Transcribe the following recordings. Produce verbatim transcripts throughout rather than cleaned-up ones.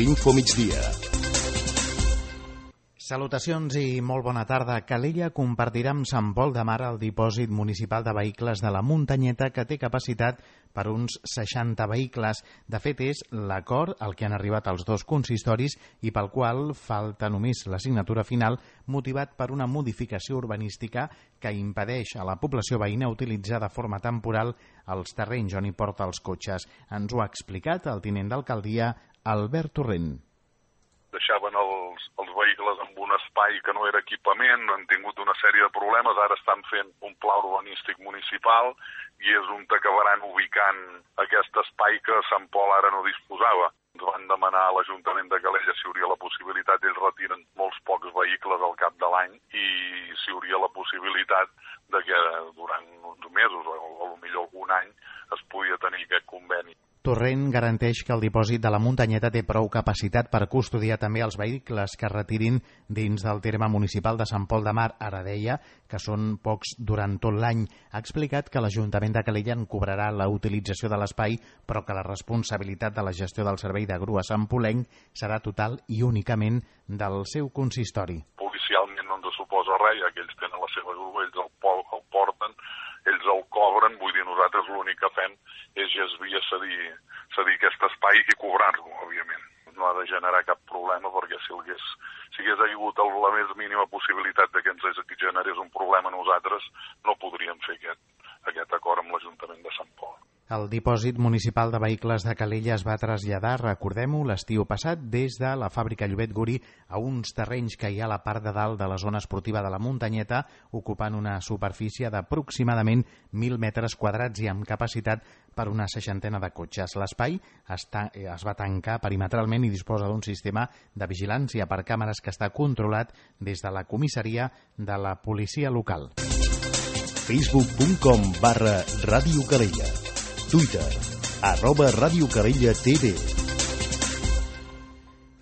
l'Info Migdia. Salutacions i molt bona tarda. Calella compartirà amb Sant Pol de Mar el dipòsit municipal de vehicles de la Muntanyeta, que té capacitat per uns seixanta vehicles. De fet, és l'acord al que han arribat els dos consistoris i pel qual falta només la signatura final, motivat per una modificació urbanística que impedeix a la població veïna utilitzar de forma temporal els terrenys on hi porta els cotxes. Ens ho ha explicat el tinent d'alcaldia, Albert Torrent. Deixaven els, els vehicles en un espai que no era equipament, han tingut una sèrie de problemes, ara estan fent un pla urbanístic municipal i és on acabaran ubicant aquest espai que Sant Pol ara no disposava. Ens van demanar a l'Ajuntament de Calella si hi hauria la possibilitat, ells retiren molts pocs vehicles al cap de l'any i si hi hauria la possibilitat de que durant uns mesos o potser algun any es podia tenir aquest conveni. Torrent garanteix que el dipòsit de la Muntanyeta té prou capacitat per custodiar també els vehicles que es retirin dins del terme municipal de Sant Pol de Mar. Ara deia que són pocs durant tot l'any. Ha explicat que l'Ajuntament de Calella en cobrarà la utilització de l'espai, però que la responsabilitat de la gestió del servei de grua santpolenc serà total i únicament del seu consistori. Policialment no ens suposa res, ja que ells tenen la seva grua, ells el, el porten, ells el cobren, vull dir, nosaltres l'únic que fem és gesviar, cedir, cedir aquest espai i cobrar-lo, òbviament. No ha de generar cap problema, perquè si hagués, si hagués hagut la més mínima possibilitat de que ens generés un problema a nosaltres, no podríem fer aquest, aquest acord amb l'Ajuntament de Sant Pol. El dipòsit municipal de vehicles de Calella es va traslladar, recordem-ho, l'estiu passat, des de la fàbrica Llobet Guri a uns terrenys que hi ha a la part de dalt de la zona esportiva de la Muntanyeta, ocupant una superfície d'aproximadament mil metres quadrats i amb capacitat per una seixantena de cotxes. L'espai està, es va tancar perimetralment i disposa d'un sistema de vigilància per càmeres que està controlat des de la comissaria de la policia local. facebook punt com barra Ràdio Calella. Twitter, arroba Ràdio Calella T V.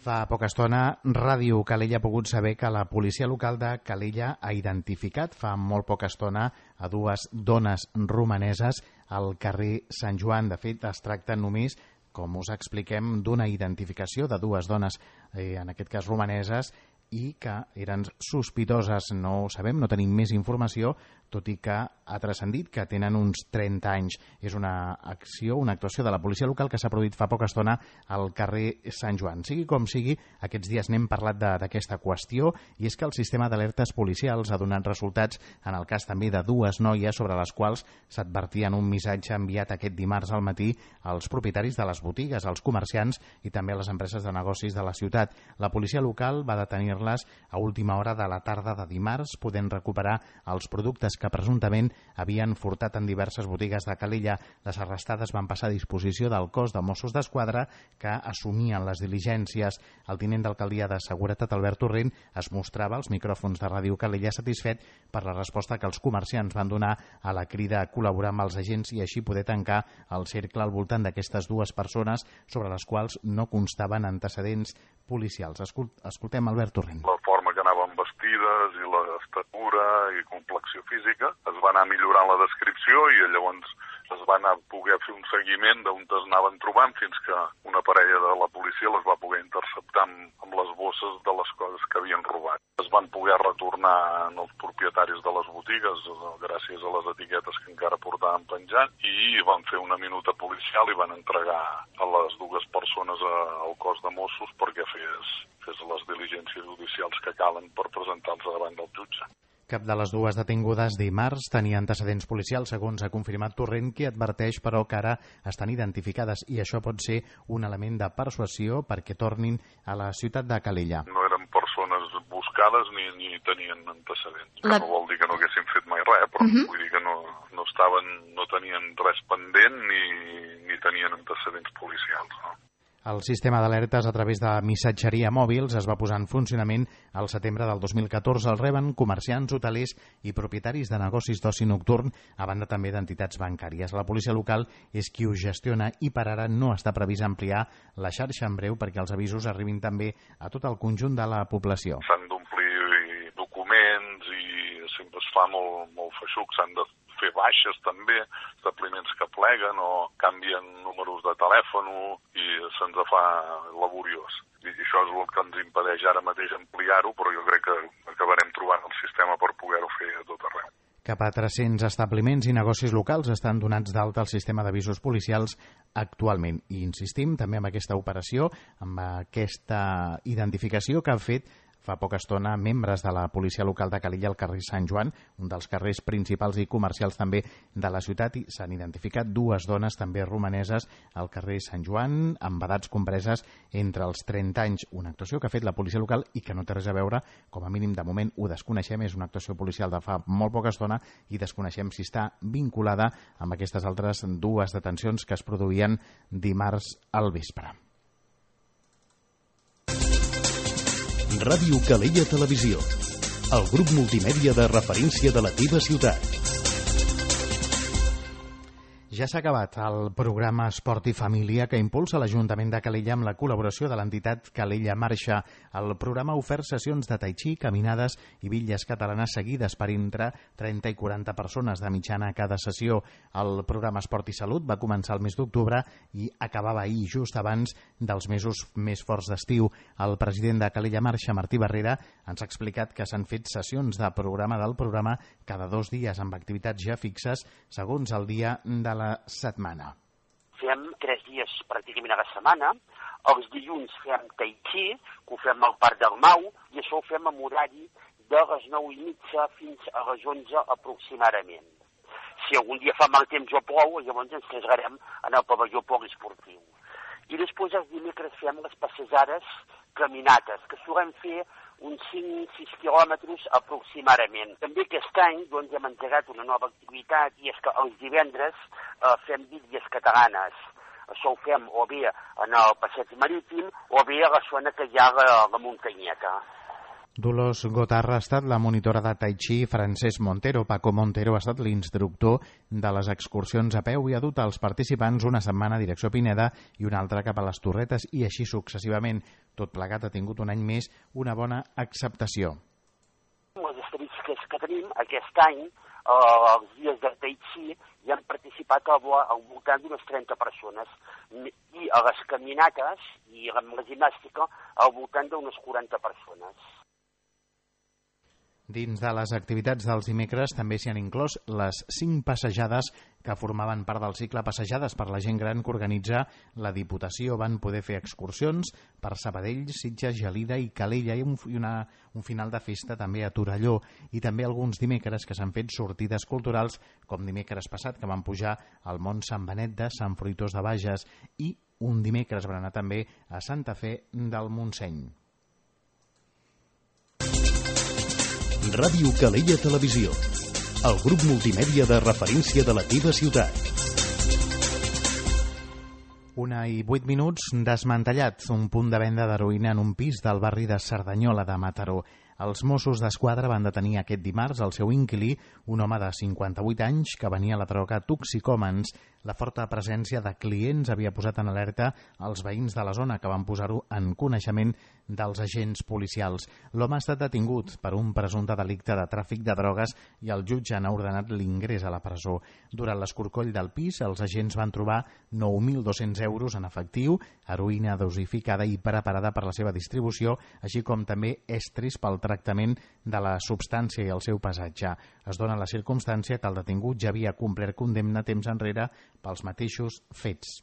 Fa poca estona, Ràdio Calella ha pogut saber que la policia local de Calella ha identificat fa molt poca estona a dues dones romaneses al carrer Sant Joan. De fet, es tracta només, com us expliquem, d'una identificació de dues dones, eh, en aquest cas romaneses, i que eren sospitoses. No ho sabem, no tenim més informació, tot i que ha transcendit que tenen uns trenta anys. És una acció, una actuació de la policia local que s'ha produït fa poca estona al carrer Sant Joan. Sigui com sigui, aquests dies n'hem parlat d'aquesta qüestió, i és que el sistema d'alertes policials ha donat resultats en el cas també de dues noies sobre les quals s'advertia en un missatge enviat aquest dimarts al matí als propietaris de les botigues, als comerciants i també a les empreses de negocis de la ciutat. La policia local va detenir-les a última hora de la tarda de dimarts, podent recuperar els productes que presumptament havien furtat en diverses botigues de Calella. Les arrestades van passar a disposició del cos de Mossos d'Esquadra, que assumien les diligències. El tinent d'alcaldia de Seguretat, Albert Torrent, es mostrava als micròfons de Ràdio Calella satisfet per la resposta que els comerciants van donar a la crida a col·laborar amb els agents i així poder tancar el cercle al voltant d'aquestes dues persones sobre les quals no constaven antecedents policials. Escol- escoltem Albert Torrent. La forma que anaven vestides i l'estatura i complexió física es va anar millorant la descripció i llavors es va anar poder fer un seguiment d'on es anaven trobant fins que una parella de la policia les va poder interceptar amb, amb les bosses de les coses que havien robat. Es van poder retornar als propietaris de les botigues gràcies a les etiquetes que encara portaven penjant i van fer una minuta policial i van entregar a les dues persones al cos de Mossos perquè fes, fes les diligències judicials que calen per presentar-se davant del jutge. Cap de les dues detingudes dimarts tenia antecedents policials, segons ha confirmat Torrent, qui adverteix, però, que ara estan identificades i això pot ser un element de persuasió perquè tornin a la ciutat de Calella. No eren persones buscades ni, ni tenien antecedents. La... No vol dir que no haguessin fet mai res, però uh-huh. vull dir que no, no, estaven, no tenien res pendent ni, ni tenien antecedents policials, no? El sistema d'alertes a través de missatgeria mòbils es va posar en funcionament al setembre del dos mil catorze. El reben comerciants, hotelers i propietaris de negocis d'oci nocturn, a banda també d'entitats bancàries. La policia local és qui ho gestiona i per ara no està previst ampliar la xarxa en breu perquè els avisos arribin també a tot el conjunt de la població. S'han d'omplir documents i sempre es fa molt, molt feixuc, s'han de fer baixes també, establiments que pleguen o canvien números de telèfon i se'ns fa laboriós. I això és el que ens impedeix ara mateix ampliar-ho, però jo crec que acabarem trobant el sistema per poder-ho fer a tot arreu. Cap a tres-cents establiments i negocis locals estan donats d'alta al sistema d'avisos policials actualment. I insistim també en aquesta operació, amb aquesta identificació que han fet fa poca estona membres de la policia local de Calella al carrer Sant Joan, un dels carrers principals i comercials també de la ciutat, i s'han identificat dues dones també romaneses al carrer Sant Joan, amb edats compreses entre els trenta anys. Una actuació que ha fet la policia local i que no té res a veure, com a mínim de moment ho desconeixem, és una actuació policial de fa molt poca estona i desconeixem si està vinculada amb aquestes altres dues detencions que es produïen dimarts al vespre. Ràdio Calella Televisió, el grup multimèdia de referència de la teva ciutat. Ja s'ha acabat el programa Esport i Família que impulsa l'Ajuntament de Calella amb la col·laboració de l'entitat Calella Marxa. El programa ha ofert sessions de tai chi, caminades i bitlles catalanes seguides per entre trenta i quaranta persones de mitjana a cada sessió. El programa Esport i Salut va començar el mes d'octubre i acabava ahir, just abans dels mesos més forts d'estiu. El president de Calella Marxa, Martí Barrera, ens ha explicat que s'han fet sessions de programa del programa cada dos dies amb activitats ja fixes segons el dia de la setmana. Fem tres dies pràcticament a la setmana. Els dilluns fem tai chi, que ho fem al Parc del Mau, i això ho fem amb horari de les nou i mitja fins a les onze aproximadament. Si algun dia fa mal temps o plou, llavors ens traslladem en el pavelló poliesportiu. I després els dimecres fem les passejades caminates, que solem fer uns cinc sis quilòmetres aproximadament. També aquest any doncs, hem engegat una nova activitat, i és que els divendres eh, fem bitlles catalanes. Això ho fem o bé en el passeig marítim o bé a la zona que hi ha la, la muntanyeta. Dolors Gotarra ha estat la monitora de tai chi, Francesc Montero. Paco Montero ha estat l'instructor de les excursions a peu i ha dut als participants una setmana a direcció Pineda i una altra cap a les Torretes, i així successivament. Tot plegat ha tingut un any més una bona acceptació. Les estadístiques que tenim aquest any, eh, els dies de tai chi, hi han participat al, al voltant d'unes trenta persones, i a les caminates i amb la gimnàstica al voltant d'unes quaranta persones. Dins de les activitats dels dimecres també s'hi han inclòs les cinc passejades que formaven part del cicle Passejades per la gent gran que organitza la Diputació. Van poder fer excursions per Sabadell, Sitges, Gelida i Calella, i un, una, un final de festa també a Torelló, i també alguns dimecres que s'han fet sortides culturals, com dimecres passat que van pujar al Mont Sant Benet de Sant Fruitós de Bages, i un dimecres van anar també a Santa Fe del Montseny. Ràdio Calella Televisió, el grup multimèdia de referència de la teva ciutat. Una i vuit minuts, desmantellat un punt de venda d'heroïna en un pis del barri de Cerdanyola de Mataró. Els Mossos d'Esquadra van detenir aquest dimarts el seu inquilí, un home de cinquanta-vuit anys que venia a la droga Toxicòmens. La forta presència de clients havia posat en alerta els veïns de la zona, que van posar-ho en coneixement dels agents policials. L'home ha estat detingut per un presumpte delicte de tràfic de drogues i el jutge n'ha ordenat l'ingrés a la presó. Durant l'escorcoll del pis, els agents van trobar nou mil dos-cents euros en efectiu, heroïna dosificada i preparada per la seva distribució, així com també estris pel tractament de la substància i el seu pesatge. Es dona la circumstància que el detingut ja havia complert condemna temps enrere pels mateixos fets.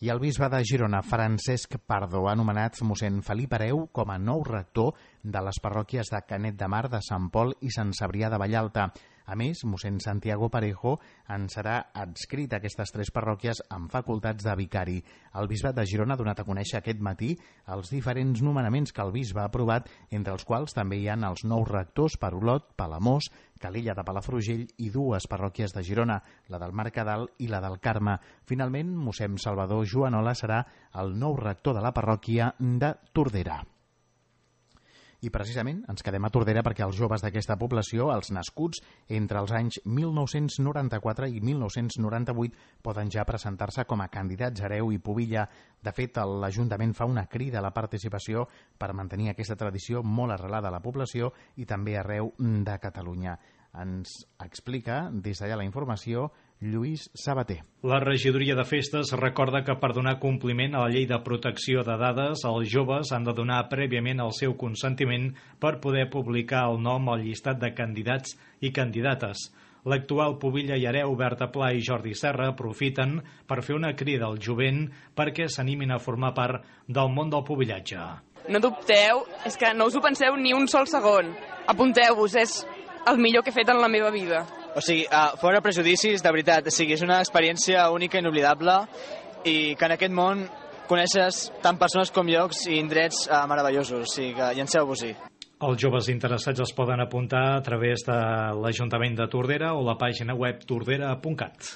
I el bisbe de Girona, Francesc Pardo, ha nomenat mossèn Felip Hereu com a nou rector de les parròquies de Canet de Mar, de Sant Pol i Sant Cebrià de Vallalta. A més, mossèn Santiago Parejo en serà adscrit a aquestes tres parròquies amb facultats de vicari. El bisbat de Girona ha donat a conèixer aquest matí els diferents nomenaments que el bisbe ha aprovat, entre els quals també hi ha els nous rectors per Olot, Palamós, Calella de Palafrugell i dues parròquies de Girona, la del Mercadal i la del Carme. Finalment, mossèn Salvador Joanola serà el nou rector de la parròquia de Tordera. I precisament ens quedem a Tordera perquè els joves d'aquesta població, els nascuts entre els anys mil nou-cents noranta-quatre i mil nou-cents noranta-vuit, poden ja presentar-se com a candidats hereu i pubilla. De fet, l'Ajuntament fa una crida a la participació per mantenir aquesta tradició molt arrelada a la població i també arreu de Catalunya. Ens explica des d'allà la informació Lluís Sabater. La regidoria de festes recorda que per donar compliment a la llei de protecció de dades, els joves han de donar prèviament el seu consentiment per poder publicar el nom al llistat de candidats i candidates. L'actual pubilla i hereu Berta Pla i Jordi Serra aprofiten per fer una crida al jovent perquè s'animin a formar part del món del pubillatge. No dubteu, és que no us ho penseu ni un sol segon. Apunteu-vos, és el millor que he fet en la meva vida. O sigui, uh, fora prejudicis, de veritat, o sigui, és una experiència única i inoblidable i que en aquest món coneixes tant persones com llocs i indrets uh, meravellosos, o sigui que llanceu-vos-hi. Els joves interessats es poden apuntar a través de l'Ajuntament de Tordera o la pàgina web tordera punt cat.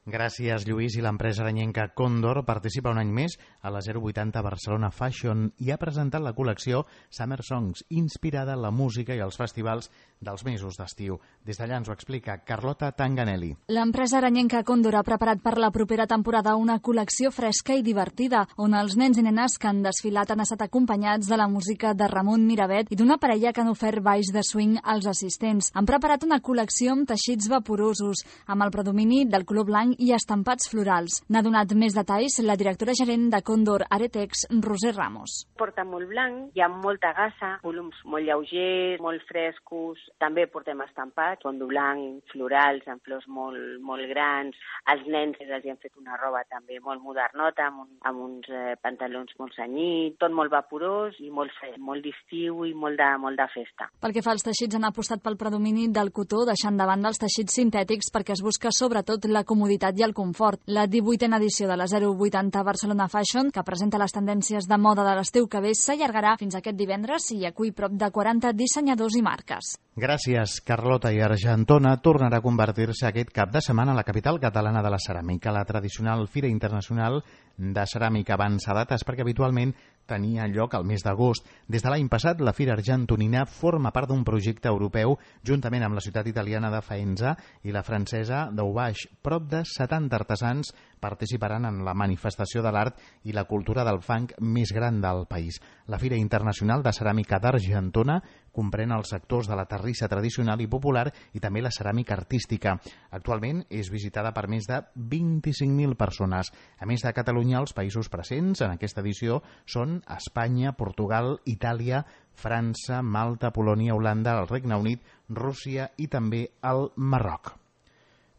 Gràcies, Lluís. I l'empresa aranyenca Còndor participa un any més a la zero vuitanta Barcelona Fashion i ha presentat la col·lecció Summer Songs, inspirada en la música i els festivals dels mesos d'estiu. Des d'allà ens ho explica Carlota Tanganelli. L'empresa aranyenca Còndor ha preparat per la propera temporada una col·lecció fresca i divertida, on els nens i nenes que han desfilat han estat acompanyats de la música de Ramon Miravet i d'una parella que han ofert balls de swing als assistents. Han preparat una col·lecció amb teixits vaporosos, amb el predomini del color blanc i estampats florals. N'ha donat més detalls la directora gerent de Còndor Aretex, Roser Ramos. Porta molt blanc, hi ha molta gassa, volums molt lleugers, molt frescos. També portem estampats, fondo blanc, florals, amb flors molt, molt grans. Els nens els hi han fet una roba també molt modernota, amb, un, amb uns eh, pantalons molt cenyits, tot molt vaporós i molt fred, molt d'estiu i molt de, molt de festa. Pel que fa als teixits, han apostat pel predomini del cotó, deixant de banda els teixits sintètics perquè es busca sobretot la comoditat i el confort. La divuitena edició de la zero vuitanta Barcelona Fashion, que presenta les tendències de moda de l'estiu que ve, s'allargarà fins aquest divendres i acull prop de quaranta dissenyadors i marques. Gràcies, Carlota. I Argentona tornarà a convertir-se aquest cap de setmana a la capital catalana de la ceràmica, la tradicional Fira Internacional de Ceràmica avança dates perquè habitualment tenia lloc al mes d'agost. Des de l'any passat, la Fira Argentonina forma part d'un projecte europeu juntament amb la ciutat italiana de Faenza i la francesa d'Aubaix. Prop de setanta artesans participaran en la manifestació de l'art i la cultura del fang més gran del país. La Fira Internacional de Ceràmica d'Argentona comprèn els sectors de la terrissa tradicional i popular i també la ceràmica artística. Actualment és visitada per més de vint-i-cinc mil persones. A més de Catalunya, els països presents en aquesta edició són Espanya, Portugal, Itàlia, França, Malta, Polònia, Holanda, el Regne Unit, Rússia i també el Marroc.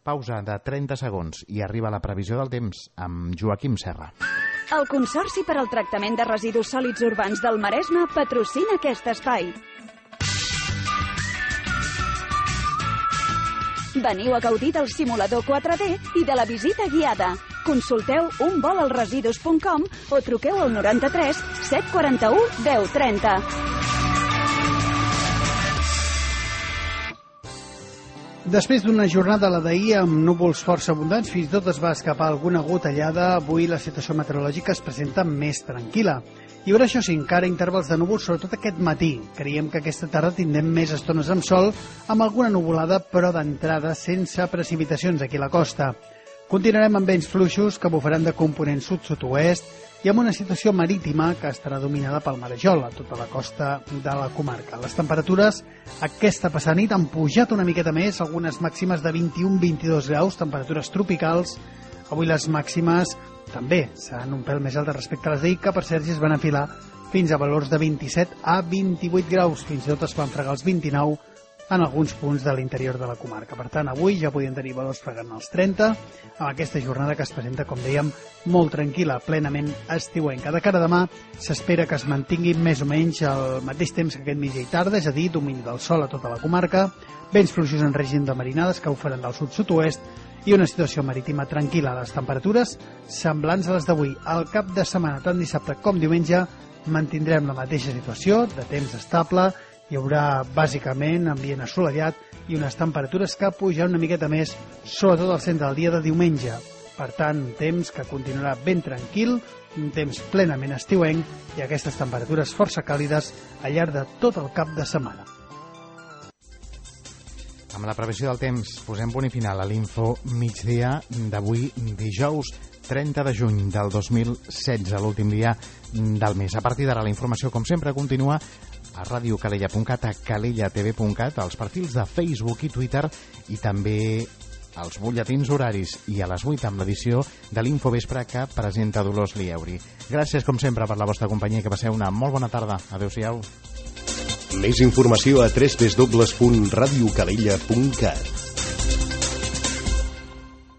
Pausa de trenta segons i arriba la previsió del temps amb Joaquim Serra. El Consorci per al Tractament de Residus Sòlids Urbans del Maresme patrocina aquest espai. Veniu a gaudir del simulador quatre D i de la visita guiada. Consulteu un vol al residus punt com o truqueu al noranta-tres set quaranta-u deu trenta. Després d'una jornada, la d'ahir, amb núvols força abundants, fins i tot es va escapar alguna gotellada. Avui la situació meteorològica es presenta més tranquil·la. Hi haurà, això sí, encara intervals de núvols, sobretot aquest matí. Creiem que aquesta tarda tindrem més estones amb sol, amb alguna nuvolada, però d'entrada sense precipitacions aquí a la costa. Continuarem amb vents fluixos que bufaran de component sud-sud-oest i amb una situació marítima que estarà dominada pel marejol a tota la costa de la comarca. Les temperatures aquesta passada nit han pujat una miqueta més, algunes màximes de vint-i-un a vint-i-dos graus, temperatures tropicals. Avui les màximes també seran un pèl més altes respecte a les d'ahir, que per cert es van afilar fins a valors de vint-i-set a vint-i-vuit graus, fins i tot es van fregar els vint-i-nou en alguns punts de l'interior de la comarca. Per tant, avui ja podien tenir valors fregant els trenta, amb aquesta jornada que es presenta, com dèiem, molt tranquil·la, plenament estiuenca. De cara a demà s'espera que es mantingui més o menys el mateix temps que aquest mitjà i tarda, és a dir, domini del sol a tota la comarca, vents fluixos en règim de marinades que ho faran del sud-sud-oest i una situació marítima tranquil·la. Les temperatures semblants a les d'avui. Al cap de setmana, tant dissabte com diumenge, mantindrem la mateixa situació, de temps estable. Hi haurà bàsicament ambient assolellat i unes temperatures que pujaran una miqueta més, sobretot al centre del dia de diumenge. Per tant, un temps que continuarà ben tranquil, un temps plenament estiuenc i aquestes temperatures força càlides al llarg de tot el cap de setmana. Amb la previsió del temps posem punt i final a l'info migdia d'avui, dijous trenta de juny del dos mil setze, l'últim dia del mes. A partir d'ara la informació, com sempre, continua a radio calella punt cat, a calella t v punt cat, als perfils de Facebook i Twitter i també als butlletins horaris i a les vuit amb l'edició de l'Infovespre que presenta Dolors Lieuri. Gràcies, com sempre, per la vostra companyia i que passeu una molt bona tarda. Adéu-siau. Més informació a w w w punt radio calella punt cat.